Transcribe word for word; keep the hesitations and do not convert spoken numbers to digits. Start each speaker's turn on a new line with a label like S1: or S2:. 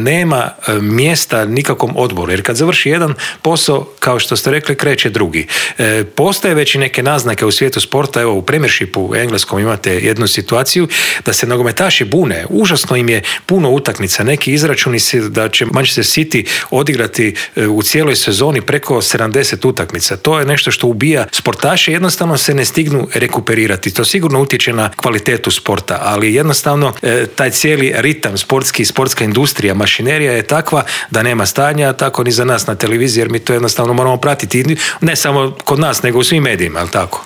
S1: nema mjesta nikakvom odboru, jer kad završi jedan posao, kao što ste rekli, kreće drugi. E, postoje već i neke naznake u svijetu sporta, evo u Premiershipu u engleskom imate jednu situaciju da se nogometaši bune, užasno im je puno utakmica, neki izračuni se da će Manchester City odigrati u cijeloj sezoni preko sedamdeset utakmica. To je nešto što ubija sportaše, jednostavno se ne stignu rekuperirati. To sigurno utječe na kvalitetu sporta, ali jednostavno e, taj cijeli ritam sportski, sportska industrija, mašinerija je takva da nema stanja, tako ni za nas na televiziji, jer mi to jednostavno moramo pratiti, ne samo kod nas, nego u svim medijima, je li tako?